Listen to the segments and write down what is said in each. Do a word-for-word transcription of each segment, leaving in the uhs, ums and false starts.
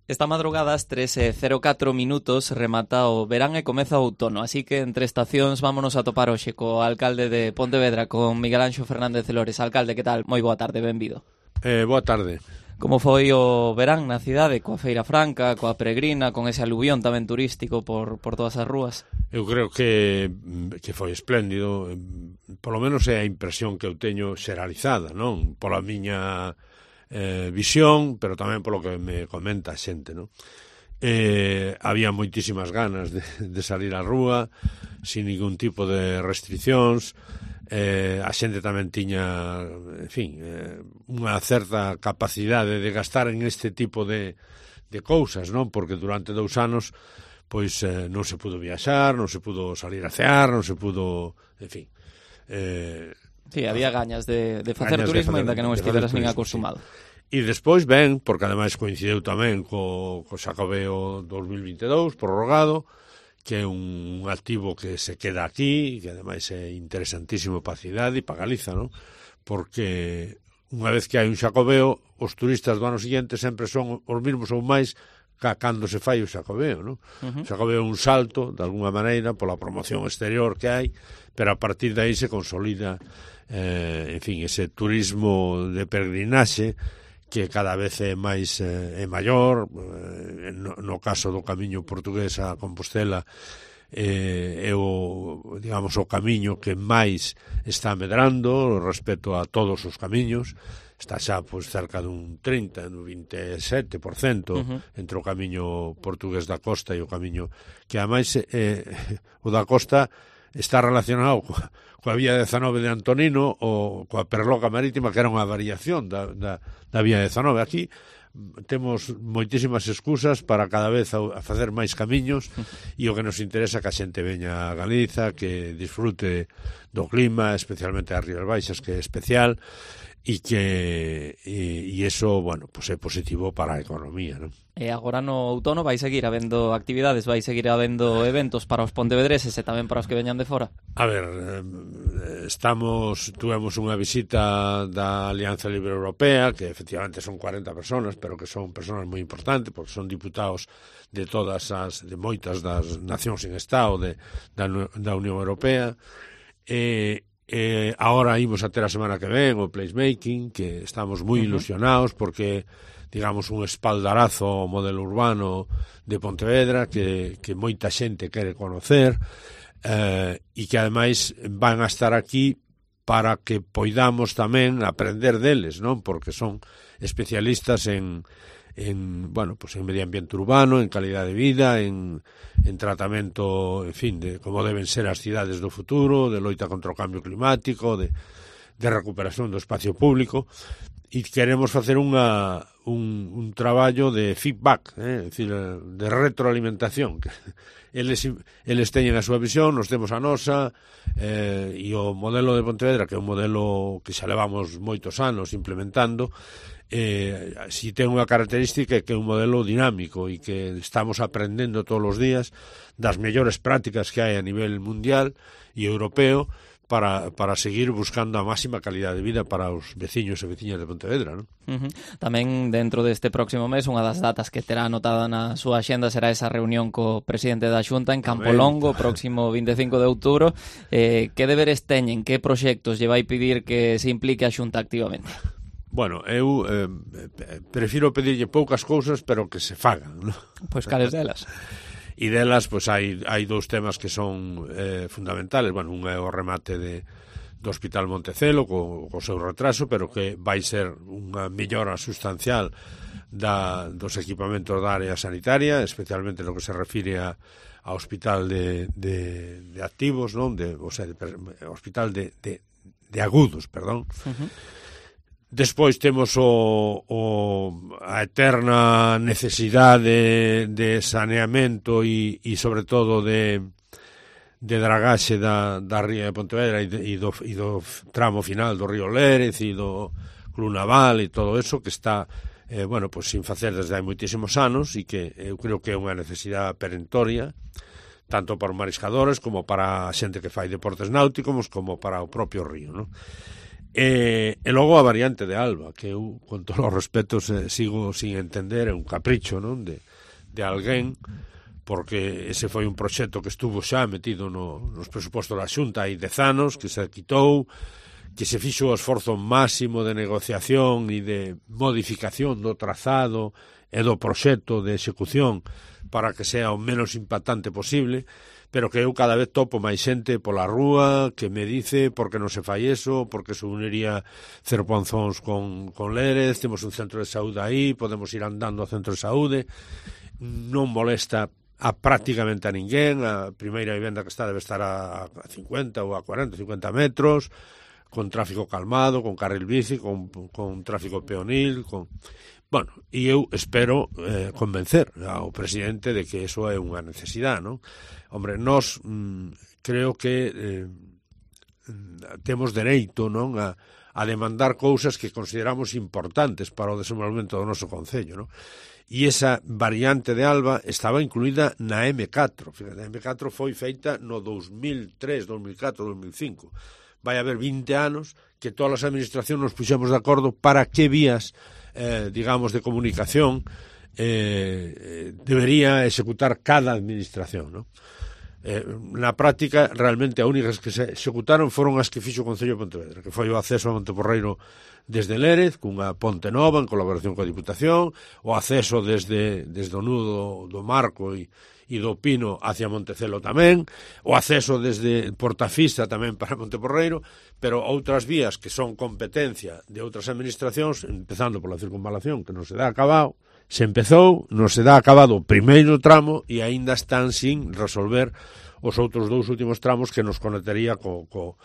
Esta madrugada ás tres e cero catro minutos remata o verán e comeza o outono, así que entre estacións vámonos a topar hoxe co alcalde de Pontevedra, con Miguel Anxo Fernández Lores. Alcalde, que tal? Moi boa tarde, benvido. Eh, boa tarde. Como foi o verán na cidade, coa Feira Franca, coa Peregrina, con ese aluvión tamén turístico por, por todas as rúas? Eu creo que, que foi espléndido, polo menos é a impresión que eu teño xeralizada, non? Pola miña eh, visión, pero tamén polo que me comenta a xente, non? Eh, había moitísimas ganas de, de salir á rúa, sin ningún tipo de restriccións. Eh, a xente tamén tiña, en fin, eh, unha certa capacidade de gastar en este tipo de, de cousas, non? Porque durante dous anos pois eh, non se pudo viaxar, non se pudo salir a cear, non se pudo, en fin. Eh, sí, había gañas de, de facer turismo, ainda que non estiveras nin acostumado. Sí. E despois ben, porque ademais coincideu tamén co, co Xacobeo dos mil vinte e dous, prorrogado, que é un activo que se queda aquí, que ademais é interesantísimo para a cidade e para Galiza, non? Porque unha vez que hai un Xacobeo, os turistas do ano seguinte sempre son os mesmos ou máis ca cando se fai o Xacobeo, non? Uh-huh. O Xacobeo é un salto, de alguna maneira, pola promoción exterior que hai, pero a partir de aí se consolida, eh, en fin, ese turismo de peregrinaxe que cada vez é máis eh, é maior, eh, no, no caso do camiño portugués a Compostela, eh, é o, digamos, o camiño que máis está medrando respecto a todos os camiños. Está xa pois, cerca dun trinta, dun vinte e sete por cento uh-huh. entre o camiño portugués da costa e o camiño que, ademais, eh, o da costa está relacionado coa, coa vía dezanove de Antonino ou coa Perloca Marítima, que era unha variación da, da, da vía dezanove. Aquí temos moitísimas excusas para cada vez a, a facer máis camiños e o que nos interesa que a xente veña a Galiza, que disfrute do clima, especialmente as Rías Baixas, que é especial, e que e, e eso, bueno, pues é positivo para a economía, non? E agora no outono vai seguir habendo actividades, vai seguir habendo eventos para os pontevedreses e tamén para os que veñan de fora? A ver, estamos, tuvemos unha visita da Alianza Libre Europea, que efectivamente son cuarenta personas, pero que son personas moi importantes, porque son diputados de todas as, de moitas das nacións en estado de, da, da Unión Europea. E Eh, ahora imos a ter a semana que ven o placemaking, que estamos moi uh-huh. ilusionados porque, digamos, un espaldarazo ao modelo urbano de Pontevedra que, que moita xente quere conocer, eh, e que ademais van a estar aquí para que poidamos tamén aprender deles, non? Porque son especialistas en en, bueno, pues en medio ambiente urbano, en calidad de vida, en, en tratamento, en fin, de como deben ser as cidades do futuro, de loita contra o cambio climático, de, de recuperación do espacio público, e queremos facer unha, un, un traballo de feedback, eh? É dicir, de retroalimentación, que eles, eles teñen a súa visión, nos temos a nosa, eh, e o modelo de Pontevedra, que é un modelo que xa levamos moitos anos implementando, eh, si ten unha característica que é un modelo dinámico e que estamos aprendendo todos os días das mellores prácticas que hai a nivel mundial e europeo para, para seguir buscando a máxima calidade de vida para os veciños e veciñas de Pontevedra, non? Uh-huh. Tamén dentro deste próximo mes, unha das datas que terá anotada na súa axenda será esa reunión co presidente da Xunta en Campolongo, próximo vinte e cinco de outubro. Eh, que deberes teñen, que proxectos lle vai pedir que se implique a Xunta activamente? Bueno, eu eh, prefiro pedirlle poucas cousas, pero que se fagan, non? Pois cales delas? E delas, pois hai, hai dous temas que son eh, fundamentales. Bueno, un é o remate de, do Hospital Montecelo, co, co seu retraso, pero que vai ser unha mellora sustancial da, dos equipamentos da área sanitaria, especialmente no que se refire a, ao hospital de, de, de activos, non? De, o sea, de, hospital de, de, de agudos, perdón. Uh-huh. Despois temos o, o, a eterna necesidade de saneamento e, e sobre todo de, de dragaxe da, da ría de Pontevedra e, de, e, do, e do tramo final do río Lérez e do Club Naval e todo eso que está, eh, bueno, pues sin facer desde hai moitísimos anos e que eu creo que é unha necesidade perentoria tanto para os mariscadores como para a xente que fai deportes náuticos como para o propio río, non? E, e logo a variante de Alba, que eu, con todos os respetos, eh, sigo sin entender, é un capricho, non, de, de alguén, porque ese foi un proxecto que estuvo xa metido no, nos presupostos da Xunta hai dez anos, que se quitou, que se fixo o esforzo máximo de negociación e de modificación do trazado e do proxecto de execución para que sea o menos impactante posible, pero que eu cada vez topo máis xente pola rúa que me dice por que non se fai eso, porque se uniría Cerponzóns con, con Lérez, temos un centro de saúde aí, podemos ir andando ao centro de saúde, non molesta a prácticamente a ninguén, a primeira vivenda que está debe estar a cincuenta ou a cuarenta, cincuenta metros, con tráfico calmado, con carril bici, con, con tráfico peonil, con... Bueno, e eu espero eh, convencer ao presidente de que eso é unha necesidade, non? Hombre, nós mm, creo que eh, temos dereito, non, a, a demandar cousas que consideramos importantes para o desenvolvemento do noso concello, non? E esa variante de Alba estaba incluída na eme catro. Fíjate, a eme catro foi feita no dos mil tres, dos mil catro, dos mil cinco. Vai haber vinte anos que todas as administracións nos puxemos de acordo para que vías, eh, digamos, de comunicación eh, debería executar cada administración, ¿no? Eh, na práctica, realmente, as únicas que se executaron foron as que fixo o Concello de Pontevedra, que foi o acceso a Monteporreiro desde Lérez, cunha ponte nova en colaboración coa Diputación, o acceso desde, desde o nudo do Marco e e do Pino hacia Montecelo tamén, o acceso desde Portafista tamén para Monteporreiro, pero outras vías que son competencia de outras administracións, empezando pola circunvalación, que non se dá acabado, se empezou, non se dá acabado o primeiro tramo e aínda están sin resolver os outros dous últimos tramos que nos conectaría co, co,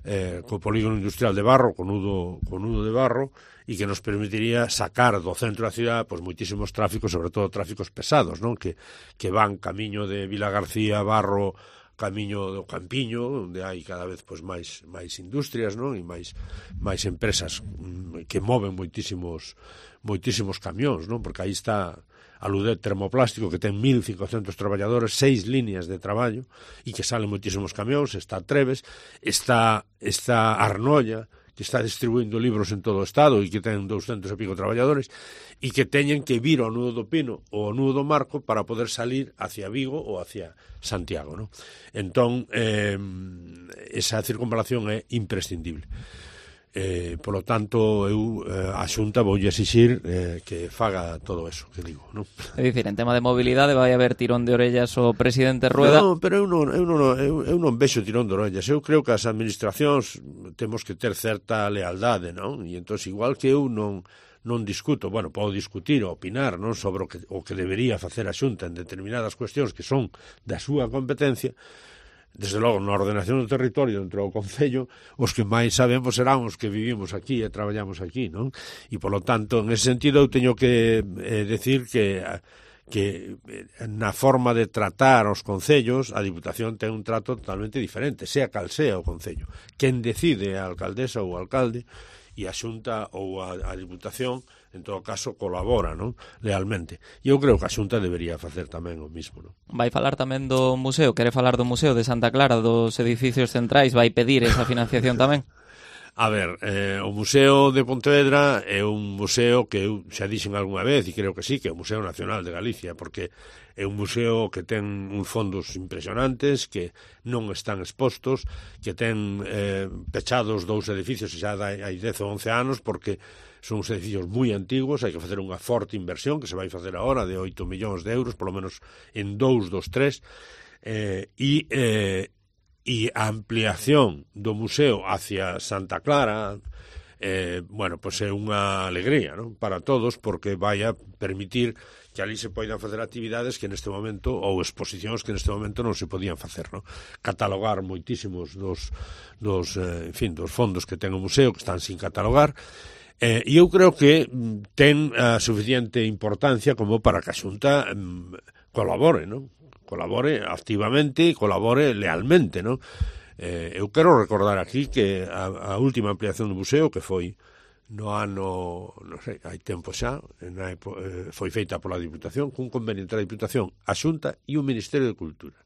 eh, co polígono industrial de Barro, co nudo, co nudo de Barro, e que nos permitiría sacar do centro da cidade pois moitísimos tráficos, sobre todo tráficos pesados, non? Que, que van camiño de Vila García, Barro, camiño do Campiño, onde hai cada vez pois máis máis industrias, non? E máis máis empresas mm, que moven moitísimos moitísimos camións, non? Porque aí está a Ludet Termoplástico, que ten mil cincocentos traballadores, seis líneas de traballo, e que salen moitísimos camións, está Treves, está, está Arnolla, que está distribuindo libros en todo o Estado e que ten douscentos e pico traballadores, e que teñen que vir ao nudo do Pino ou ao nudo do Marco para poder salir hacia Vigo ou hacia Santiago, ¿no? Entón, eh, esa circunvalación é imprescindible. Eh, polo tanto, eu eh, a Xunta voulle exixir eh, que faga todo eso que digo, non? É dicir, en tema de mobilidade vai haber tirón de orellas o presidente Rueda? Non, pero eu non, eu non, eu, eu non vexo tirón de orellas. Eu creo que as administracións temos que ter certa lealdade, non? E entón, igual que eu non non discuto, bueno, podo discutir ou opinar, non, sobre o que, o que debería facer a Xunta en determinadas cuestións que son da súa competencia. Desde logo, na ordenación do territorio dentro do Concello, os que máis sabemos serán os que vivimos aquí e traballamos aquí, non? E, polo tanto, en ese sentido, eu teño que eh, decir que, que na forma de tratar os concellos, a Diputación ten un trato totalmente diferente, sea cal sea o Concello. Quen decide a alcaldesa ou o alcalde, e a Xunta ou a, a Diputación, en todo caso, colabora, non? Lealmente. E eu creo que a Xunta debería facer tamén o mismo, non? Vai falar tamén do museo, quere falar do Museo de Santa Clara, dos edificios centrais, vai pedir esa financiación tamén? A ver, eh, o Museo de Pontevedra é un museo que eu xa dixen algunha vez, e creo que sí, que é o Museo Nacional de Galicia, porque é un museo que ten uns fondos impresionantes, que non están expostos, que ten eh, pechados dous edificios xa hai dez ou once anos, porque son uns edificios moi antigos, hai que facer unha forte inversión, que se vai facer agora, de oito millóns de euros, polo menos en dous dos tres, eh, e... Eh, e a ampliación do museo hacia Santa Clara, eh, bueno, pois é unha alegría, non? Para todos, porque vai a permitir que ali se poidan facer actividades que neste momento, ou exposicións que neste momento non se podían facer, non? Catalogar moitísimos dos, dos, eh, en fin, dos fondos que ten o museo, que están sin catalogar, eh, e eu creo que ten a suficiente importancia como para que a Xunta eh, colabore, non? colabore activamente e colabore lealmente, non? Eh, eu quero recordar aquí que a, a última ampliación do museo, que foi no ano, non sei, hai tempo xa, na, eh, foi feita pola Diputación, cun convenio entre a Diputación, a Xunta e o Ministerio de Cultura,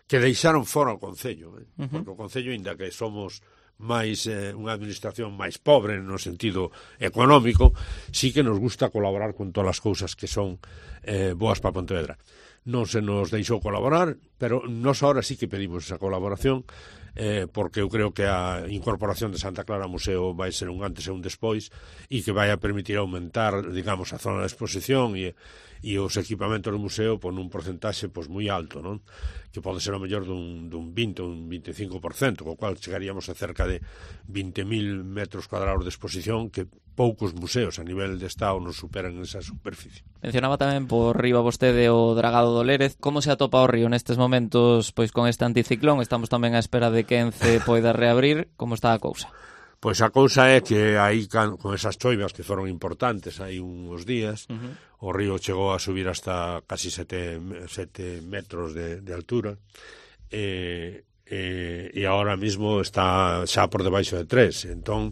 que deixaron fora o Concello, eh? Uh-huh. Porque o Concello, ainda que somos máis eh, unha administración máis pobre no sentido económico, sí que nos gusta colaborar con todas as cousas que son eh, boas para Pontevedra. Non se nos deixou colaborar, pero nós ahora sí que pedimos esa colaboración, eh, porque eu creo que a incorporación de Santa Clara ao museo vai ser un antes e un despois e que vai a permitir aumentar, digamos, a zona de exposición e, e os equipamentos do museo por un porcentaxe pois, moi alto, non? Que pode ser o mellor dun, dun vinte ou un vinte e cinco por cento, co cual chegaríamos a cerca de vinte mil metros cuadrados de exposición que poucos museos a nivel de Estado nos superan esa superficie. Mencionaba tamén por riba vostede o dragado do Lérez. Como se atopa o río nestes momentos pois con este anticiclón? Estamos tamén á espera de que Ence poida reabrir. Como está a cousa? Pois a cousa é que aí con esas choivas que foron importantes hai uns días, uh-huh. o río chegou a subir hasta casi sete metros de, de altura e, e, e agora mismo está xa por debaixo de tres. Entón,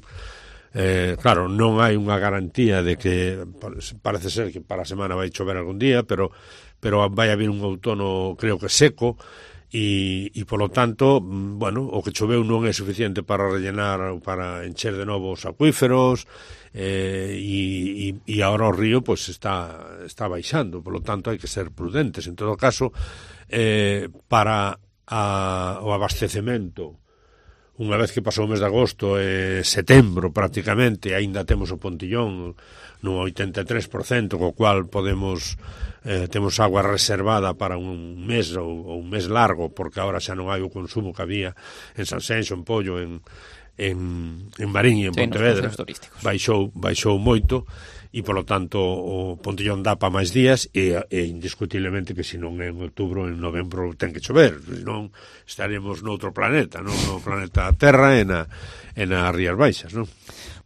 eh, claro, non hai unha garantía de que parece ser que para a semana vai chover algún día, pero, pero vai haber un outono creo que seco. E, e polo tanto, bueno, o que choveu non é suficiente para rellenar ou para encher de novo os acuíferos eh, e, e, e agora o río pues, está, está baixando, polo tanto hai que ser prudentes. En todo caso, eh, para a, o abastecemento, unha vez que pasou o mes de agosto e eh, setembro prácticamente, aínda temos o Pontillón no oitenta e tres por cento, co cual podemos eh, temos agua reservada para un mes ou, ou un mes largo, porque agora xa non hai o consumo que había en Sanxenxo, en Pollo, en, en, en Marín e en sí, Pontevedra. Baixou, baixou moito e, polo tanto, o Pontillón dá para máis días e, e indiscutiblemente que se non é en outubro, en novembro ten que chover, senón estaremos noutro planeta, non? No planeta Terra e na, e nas Rías Baixas, non?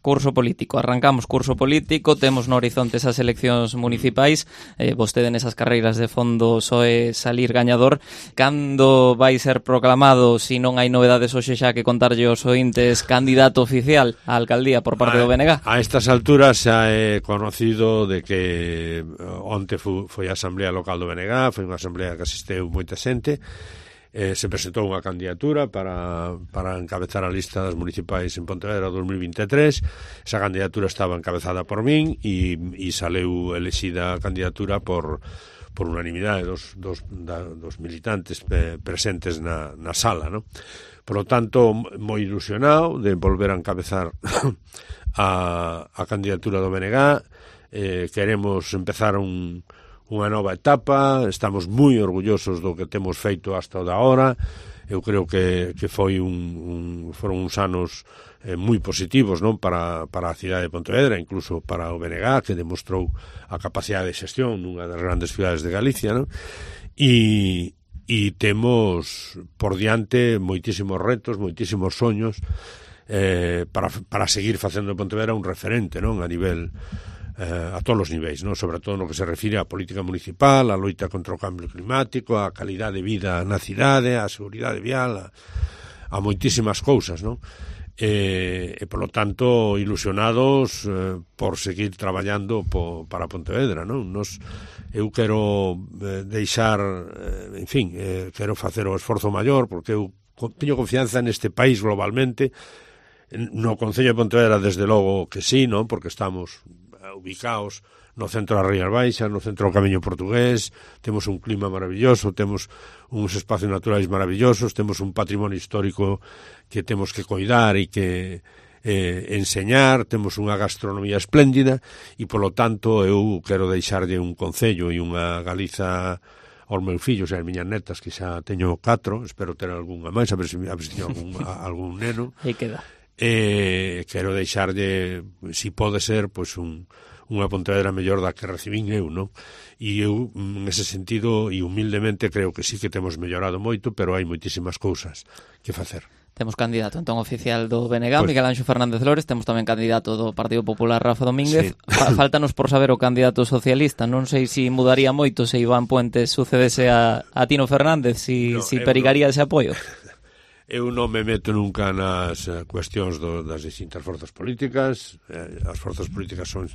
Curso político, arrancamos curso político, temos no horizonte esas eleccións municipais, eh, vostede nesas carreiras de fondo soe salir gañador. Cando vai ser proclamado, se non hai novedades hoxe xa que contarlle aos ointes, candidato oficial á alcaldía por parte a, do B N G? A estas alturas xa é conocido de que onte foi, foi a Asamblea Local do B N G, foi unha asamblea que asisteu moita xente. Eh, se presentou unha candidatura para, para encabezar a lista das municipais en Pontevedra dos mil vinte e tres. Esa candidatura estaba encabezada por min e, e saleu elexida a candidatura por, por unanimidade dos, dos, da, dos militantes pe, presentes na, na sala, ¿no? Por lo tanto, moi ilusionado de volver a encabezar a, a candidatura do B N G. Eh, queremos empezar un unha nova etapa, estamos moi orgullosos do que temos feito hasta o da hora. Eu creo que, que foi un, un, foron uns anos eh, moi positivos, non, para, para a cidade de Pontevedra, incluso para o B N G, que demostrou a capacidade de xestión nunha das grandes cidades de Galicia, non? E, e temos por diante moitísimos retos, moitísimos soños eh, para, para seguir facendo de Pontevedra un referente, non, a nivel Eh, a todos os niveis, non? Sobre todo no que se refire á política municipal, á loita contra o cambio climático, á calidade de vida na cidade, á seguridade vial, a, a moitísimas cousas, non? E, e polo tanto, ilusionados eh, por seguir traballando po, para Pontevedra, non? Nos, eu quero eh, deixar, eh, en fin, eh, quero facer o esforzo maior, porque eu teño confianza neste país globalmente, no Concello de Pontevedra, desde logo que sí, non? Porque estamos ubicados no centro das Rías Baixas, no centro do Camiño Portugués, temos un clima maravilloso, temos uns espacios naturais maravillosos, temos un patrimonio histórico que temos que coidar e que eh, enseñar, temos unha gastronomía espléndida e, polo tanto, eu quero deixarlle un concello e unha Galiza aos meus fillos e as miñas netas, que xa teño catro, espero ter algunha máis, a ver se, a ver se teño algún, a, algún neno. Aí queda. Eh, quero deixarlle, si pode ser, pois un, unha Pontevedra mellor da que recibín eu, non? E eu, nese sentido, e humildemente, creo que sí que temos mellorado moito, pero hai moitísimas cousas que facer. Temos candidato, entón, oficial do B N G, pues, Miguel Anxo Fernández Lores, temos tamén candidato do Partido Popular, Rafa Domínguez. Sí. Fáltanos por saber o candidato socialista, non sei se si mudaría moito se Iván Puentes sucedese a, a Tino Fernández, si, no, si perigaría no. ese apoio. Eu non me meto nunca nas uh, cuestións do, das distintas forzas políticas. Eh, as forzas políticas son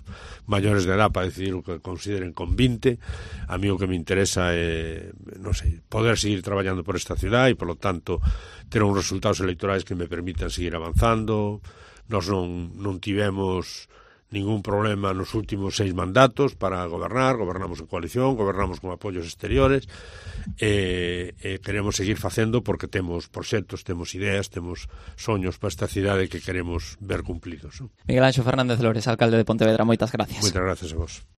maiores de edad para decidir o que consideren convinte. A mí o que me interesa é, non sei, poder seguir traballando por esta ciudad e, polo tanto, ter uns resultados electorais que me permitan seguir avanzando. Nós non, non tivemos ningún problema nos últimos seis mandatos para gobernar, gobernamos en coalición, gobernamos con apoios exteriores, e, e queremos seguir facendo porque temos proxectos, temos ideas, temos soños para esta cidade que queremos ver cumplidos. Miguel Anxo Fernández Lores, alcalde de Pontevedra, moitas gracias. Moitas gracias a vos.